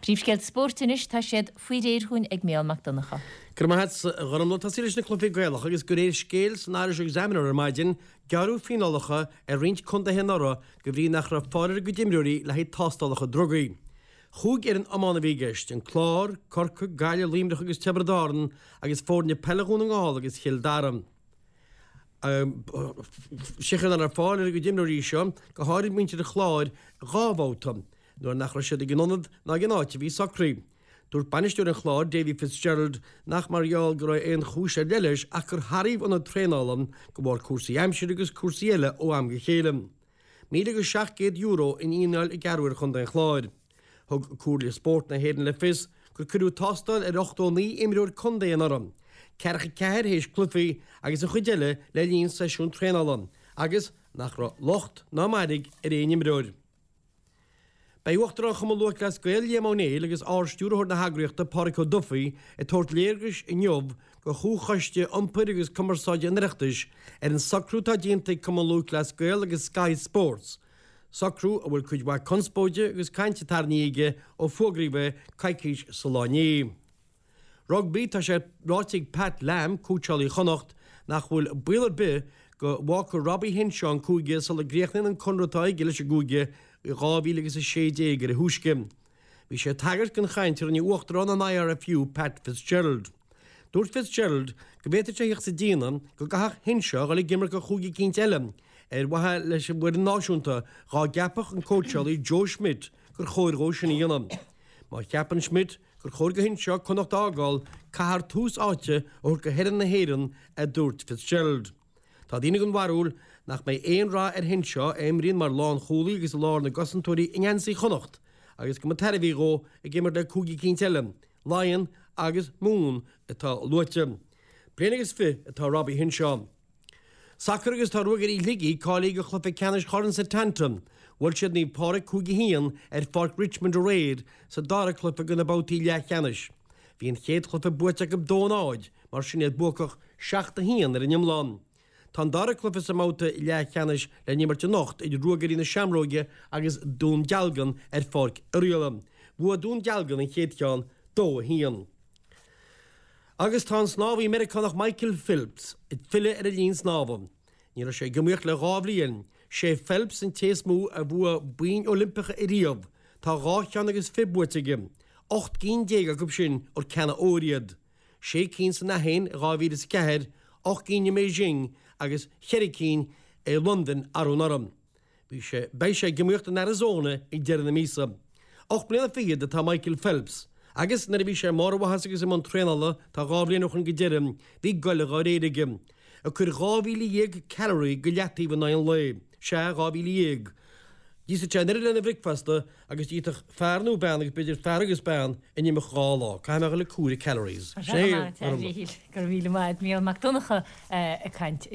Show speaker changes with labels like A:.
A: Príomhscéalta spóirt anois, tá siad faoi réir chugainn ag Mícheál Mac Donncha.
B: Go raibh maith agat, a Ghormfhlaith. Tosaí leis na cluichí Gaelacha agus de réir scéil san Irish Examiner ar maidin, gearradh fíneálacha ar roinnt contaetha anuraidh de bhrí nach raibh fáil ar a gcuid imreoirí le haghaidh tástálacha drugaí. Chúig fhoireann iomána a bhí i gceist, An Clár, Corcaigh, Gaillimh, Luimneach agus Tiobraid Árann agus foirne peile Dhún na nGall agus Chill Dara. Seiceáil nach raibh fáil ar a gcuid imreoirí seo, go háirid muintir an Chláir, dhá bhabhta, nuair nach raibh siad ag an ionad ná ag an áit a bhí socraithe. Dúirt bainisteoir an Chláir, Davy Fitzgerald, nach mar gheall go raibh aon chúis ar leith leis ach gur hathraíodh ionad traenála de bharr cúrsaí aimsire agus cúrsaí eile ó am go chéile. €1,700 an fhíneáil a gearradh ar chontae an Chláir. Thug Comhairle Spóirt na hÉireann le fios gur cuireadh tástáil ar 89 imreoir contae anuraidh, ceathracha ceathair théis cluichí agus an chuid eile le linn seisiún traenála, agus nach raibh locht ná mairg ar aon imreoir. Beidh Uachtarán Chumann Lúthchleas Gael, Liam Ó Néill, agus Ard-Stiúrthóir na heagraíochta, Pádhraic Ó Dufaigh, ag tabhairt léargais inniu do Chomhchoiste Iompair agus Cumarsáide an Oireachtais ar an socrú atá déanta ag Cumann Lúthchleas Gael agus Sky Sports, socrú a bhfuil cuid mhaith conspóide agus cainte tarraingthe aige ó fógraíodh é coicís sa lá inné. Rugbaí, Tá sé ráite ag Pat Lam, cóitseálaí Chonnacht, nach bhfuil baol ar bith go bhfágfaidh Robbie Henshaw an cúige sula gcríochnaíonn an conradh atá aige leis an gcúige i 2016 ar a thúisce. Bhí sé ag tagairt don chaint a rinne Uachtarán an IRFU, Pat Fitzgerald. Dúirt Fitzgerald go bhféadfadh sé a theacht sa déine go gcaithfeadh Henshaw a dhul ag imirt do chúige eicínt eile ar mhaithe leis an bhfoireann náisiúnta dhá gceapfadh an cóitseálaí Joe Schmidt gur chóir dhó sin a dhéanamh. Má cheapann Schmidt gur chóir do Henshaw Connacht a fhágáil, caithfear tús áite a thabhairt do fhoireann na hÉireann, a dúirt Fitzgerald. Tá daoine den bharúil nach mbeidh aon rath ar Henshaw, a imríonn mar lánchúlaí agus i lár na gcosantóirí i ngeansaí Chonnacht, agus go mba tairbhí dhó ag imirt le cúige eicínt eile, Laighean agus Mumhan atá luaite. Bliain agus fich atá Robbie Henshaw. Sacar agus tá Ruagairí Shligigh cáilithe do chluiche ceannais Chorn Setanta. Bhuail siad Naomh Pádraig 5-1 ar pháirc Richmond aréir sa dara cluiche de na babhtaí leathcheannais. Bhí an chéad chluiche buaite acu 2-0, mar sin iad buacach 7-1 ar an iomlán. Tá an dara cluiche sa mbabhta leathcheannais le n-imirt anocht idir Ruagairí na Seamróige agus Dún Dealgan ar Pháirc Oirialla. Bhuaigh Dún Dealgan an chéad cheann 2-1. Agus tá an snámhaí Meiriceánach Michael Phelps ag filleadh ar an linn snámha. Ní raibh sé ag iomaíocht le dhá bhliain. Sé Phelps an té is mó a bhuaigh boinn Oilimpeacha ariamh, tá dhá cheann agus fich buaite aige, 18 gcinn acu sin ar ceanna óir iad. Sé cinn san Aithin i 2004, 8 gcinn i mBeijing agus cheithre cinn i Londain arú anuraidh. Bhí sé, beidh sé ag iomaíocht in Arizona ag deireadh na míosa. Ocht mbliana fichead atá Michael Phelps, agus nuair a bhí sé i mbarr a mhaitheasa agus i mbun traenála, tá dhá bhliain ó shoin go deireadh, bhí goile dhá réir aige. Ag cur 12,000 calorie go leataobh in aghaidh an lae. Sea, 12,000. D'íosfadh sé an oiread lena bhricfeasta agus d'íosfadh fear nó bean, agus b'fhéidir fear agus bean, in imeacht dhá lá. Caithfidh mé a dhul ag comhaireamh calories.
A: Go raibh míle maith agat, Mícheál Mac Donncha ag caint.